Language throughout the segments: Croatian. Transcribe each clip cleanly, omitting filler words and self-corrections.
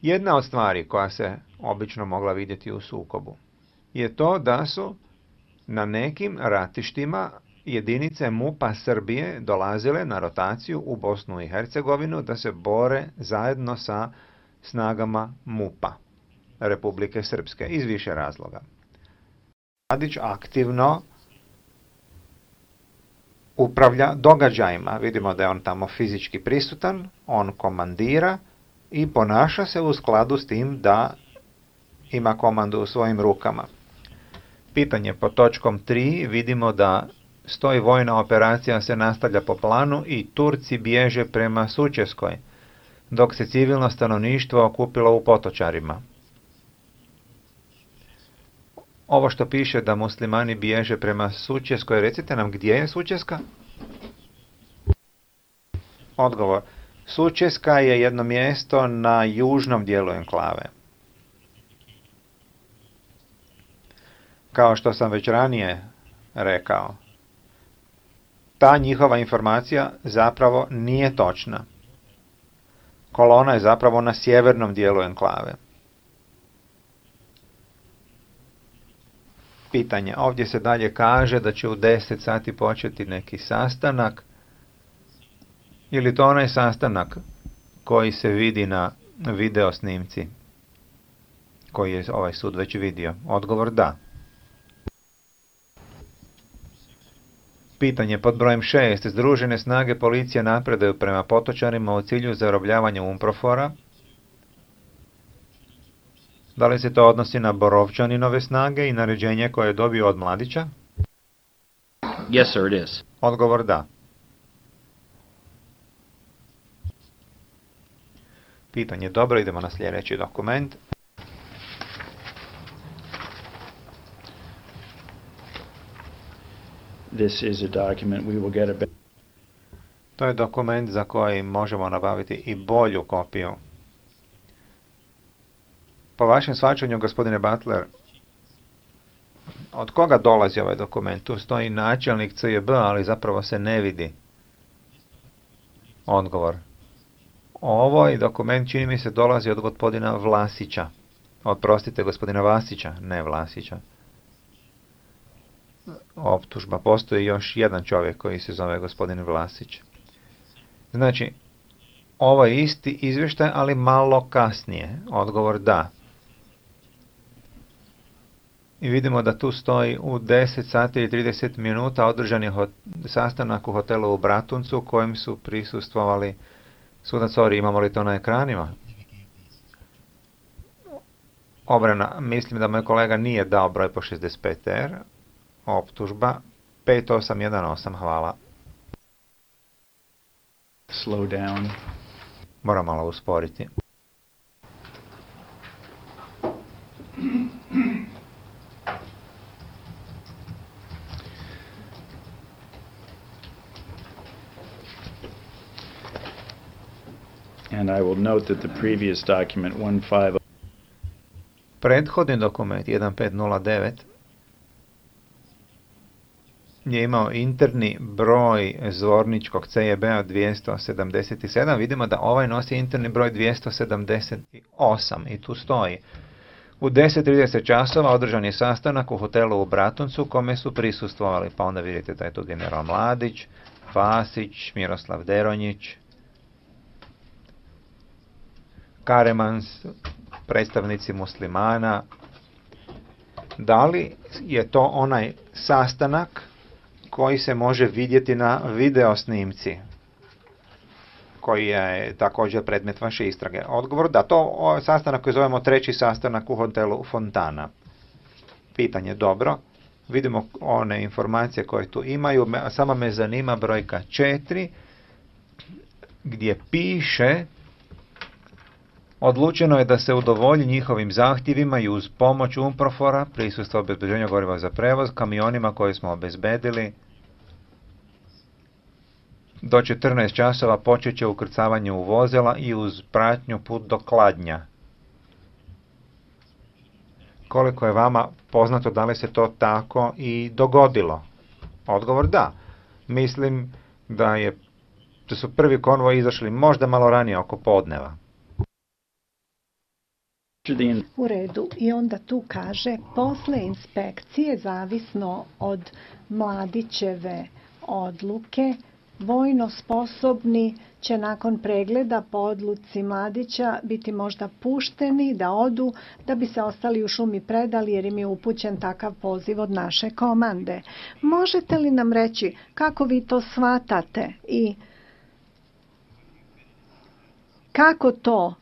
Jedna od stvari koja se obično mogla vidjeti u sukobu je to da su na nekim ratištima jedinice MUP-a Srbije dolazile na rotaciju u Bosnu i Hercegovinu da se bore zajedno sa snagama MUP-a Republike Srpske iz više razloga. Mladić aktivno upravlja događajima. Vidimo da je on tamo fizički prisutan, on komandira i ponaša se u skladu s tim da ima komandu u svojim rukama. Pitanje pod točkom 3 vidimo da stoji vojna operacija se nastavlja po planu i Turci bježe prema Sučeskoj, dok se civilno stanovništvo okupilo u Potočarima. Ovo što piše da muslimani bježe prema Sučeskoj, recite nam gdje je Sučeska? Odgovor. Sučeska je jedno mjesto na južnom dijelu enklave. Kao što sam već ranije rekao, ta njihova informacija zapravo nije točna. Kolona je zapravo na sjevernom dijelu enklave. Pitanje. Ovdje se dalje kaže da će u 10 sati početi neki sastanak. Ili to onaj sastanak koji se vidi na video snimci, koji je ovaj sud već vidio? Odgovor da. Pitanje pod brojem 6. Združene snage policije napredaju prema Potočarima u cilju zarobljavanja UNPROFOR-a. Da li se to odnosi na Borovčaninove snage i naređenje koje je dobio od Mladića? Yes, sir, it is. Odgovor da. Pitanje dobro, idemo na sljedeći dokument. This is a document we will get a... To je dokument za koji možemo nabaviti i bolju kopiju. Po vašem shvaćanju, gospodine Butler, od koga dolazi ovaj dokument? Tu stoji načelnik CJB, ali zapravo se ne vidi. Odgovor. Ovaj dokument, čini mi se, dolazi od gospodina Vlasića. Oprostite, gospodina Vasića, ne Vlasića. Optužba. Postoji još jedan čovjek koji se zove gospodin Vlasić. Znači, ovo je isti izvještaj, ali malo kasnije. Odgovor da. I vidimo da tu stoji u 10 sati i 30 minuta održan je sastanak u hotelu u Bratuncu kojem su prisustvovali sudac Ori. Imamo li to na ekranima? Obrana. Mislim da moj kolega nije dao broj po 65R. Optužba 5818. Hvala. Slow down. Moram malo usporiti. And I will note that the previous document 15... Prethodni dokument 1509 je imao interni broj zvorničkog CJB-a 277. Vidimo da ovaj nosi interni broj 278 i tu stoji. U 10:30 časova održan je sastanak u hotelu u Bratuncu kome su prisustvovali. Pa onda vidite da je tu general Mladić, Vasić, Miroslav Deronjić, Karemans, predstavnici muslimana. Da li je to onaj sastanak koji se može vidjeti na video snimci, koji je također predmet vaše istrage? Odgovor da, to sastanak koji zovemo treći sastanak u hotelu Fontana. Pitanje dobro. Vidimo one informacije koje tu imaju, samo me zanima brojka 4, gdje piše: odlučeno je da se udovolji njihovim zahtjevima i uz pomoć UNPROFOR-a, prisustvo obezbeđenja goriva za prevoz, kamionima koje smo obezbedili. Do 14 časova počet će ukrcavanje u vozila i uz pratnju put do Kladnja. Koliko je vama poznato, da li se to tako i dogodilo? Odgovor da. Mislim da su prvi konvoj izašli možda malo ranije, oko podneva. U redu. I onda tu kaže, posle inspekcije, zavisno od Mladićeve odluke, vojno sposobni će nakon pregleda po odluci Mladića biti možda pušteni da odu, da bi se ostali u šumi predali jer im je upućen takav poziv od naše komande. Možete li nam reći kako vi to shvatate i kako to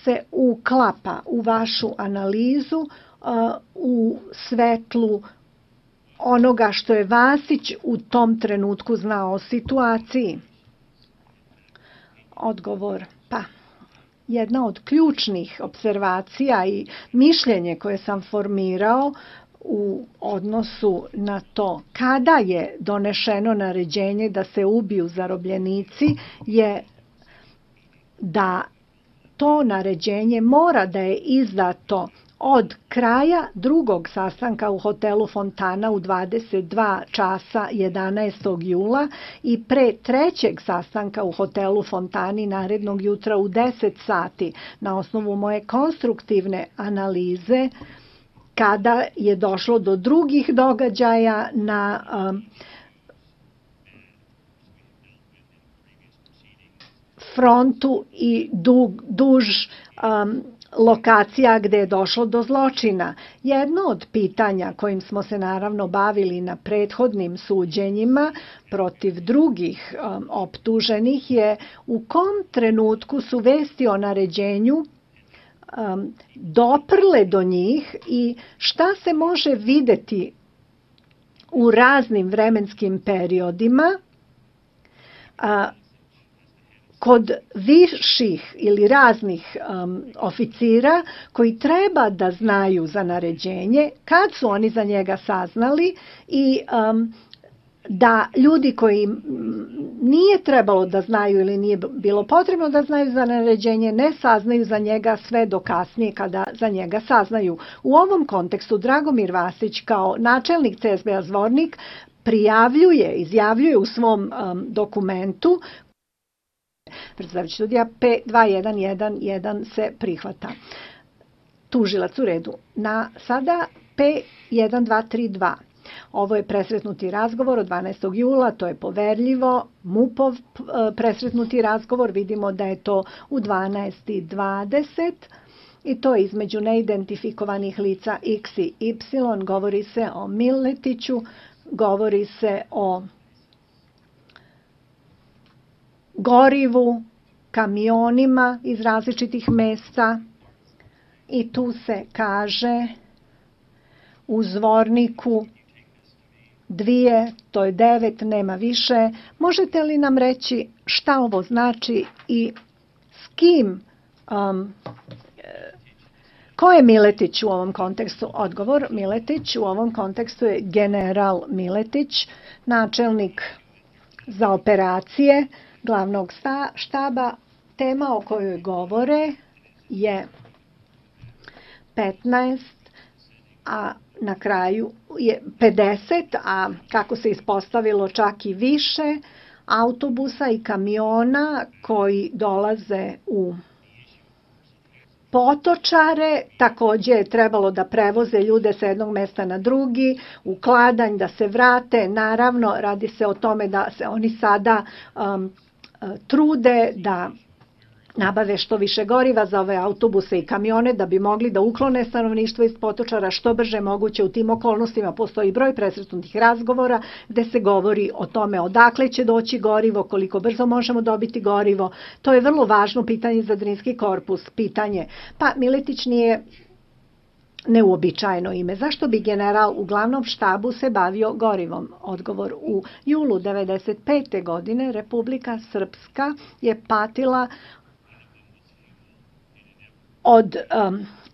se uklapa u vašu analizu u svetlu onoga što je Vasić u tom trenutku znao o situaciji? Odgovor, pa jedna od ključnih observacija i mišljenje koje sam formirao u odnosu na to kada je donešeno naređenje da se ubiju zarobljenici je da to naređenje mora da je izdato od kraja drugog sastanka u hotelu Fontana u 22 časa 11. jula i pre trećeg sastanka u hotelu Fontani narednog jutra u 10 sati. Na osnovu moje konstruktivne analize, kada je došlo do drugih događaja na frontu i duž lokacija gde je došlo do zločina. Jedno od pitanja kojim smo se naravno bavili na prethodnim suđenjima protiv drugih optuženih je u kom trenutku su vesti o naređenju doprle do njih i šta se može videti u raznim vremenskim periodima kod viših ili raznih oficira koji treba da znaju za naređenje, kad su oni za njega saznali i da ljudi koji nije trebalo da znaju ili nije bilo potrebno da znaju za naređenje, ne saznaju za njega sve do kasnije kada za njega saznaju. U ovom kontekstu Dragomir Vasić kao načelnik CSB-a Zvornik izjavljuje u svom dokumentu predstavljajući sudija P2111 se prihvata. Tužilac u redu. Sada P1232. Ovo je presretnuti razgovor od 12. jula, to je poverljivo. MUP-ov presretnuti razgovor, vidimo da je to u 12:20 i to je između neidentifikovanih lica X i Y. Govori se o Miletiću, govori se o gorivu, kamionima iz različitih mesta i tu se kaže u Zvorniku 2, to je 9, nema više. Možete li nam reći šta ovo znači i s kim, ko je Miletić u ovom kontekstu? Odgovor, Miletić u ovom kontekstu je general Miletić, načelnik za operacije glavnog štaba. Tema o kojoj govore je 15, a na kraju je 50, a kako se ispostavilo čak i više autobusa i kamiona koji dolaze u Potočare. Takođe je trebalo da prevoze ljude sa jednog mesta na drugi, u Kladanj, da se vrate. Naravno, radi se o tome da se oni sada trude da nabave što više goriva za ove autobuse i kamione da bi mogli da uklone stanovništvo iz Potočara što brže moguće. U tim okolnostima postoji broj presretnutih razgovora gde se govori o tome odakle će doći gorivo, koliko brzo možemo dobiti gorivo. To je vrlo važno pitanje za Drinski korpus. Pitanje, pa Miletić nije neuobičajeno ime. Zašto bi general u glavnom štabu se bavio gorivom? Odgovor, u julu 1995. godine Republika Srpska je patila od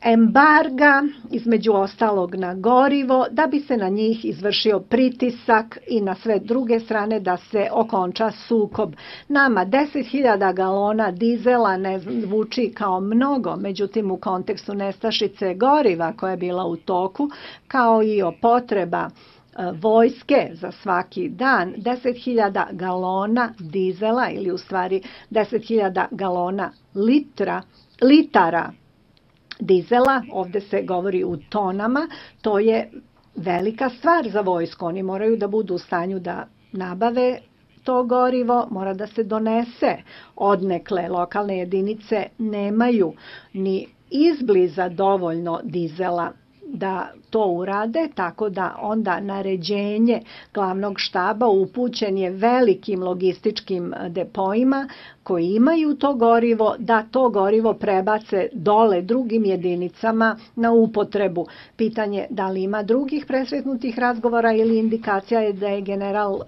embarga, između ostalog na gorivo, da bi se na njih izvršio pritisak i na sve druge strane da se okonča sukob. Nama 10.000 galona dizela ne zvuči kao mnogo, međutim u kontekstu nestašice goriva koja je bila u toku, kao i o potreba vojske za svaki dan 10.000 galona dizela ili u stvari 10.000 galona litara dizela, ovde se govori u tonama, to je velika stvar za vojsku. Oni moraju da budu u stanju da nabave to gorivo, mora da se donese odnekle. Lokalne jedinice nemaju ni izbliza dovoljno dizela da to urade, tako da onda naređenje glavnog štaba upućen je velikim logističkim depoima koji imaju to gorivo, da to gorivo prebace dole drugim jedinicama na upotrebu. Pitanje da li ima drugih presretnutih razgovora ili indikacija je da je general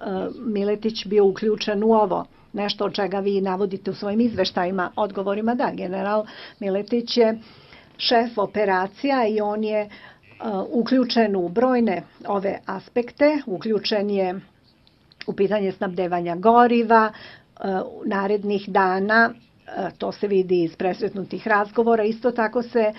Miletić bio uključen u ovo. Nešto od čega vi navodite u svojim izveštajima, odgovorima, da, general Miletić je šef operacija i on je uključen u brojne ove aspekte, uključen je u pitanje snabdevanja goriva, narednih dana, to se vidi iz presretnutih razgovora, isto tako se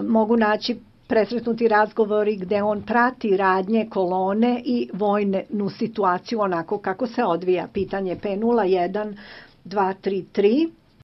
mogu naći presretnuti razgovori gde on prati radnje kolone i vojnu situaciju onako kako se odvija. Pitanje P01-233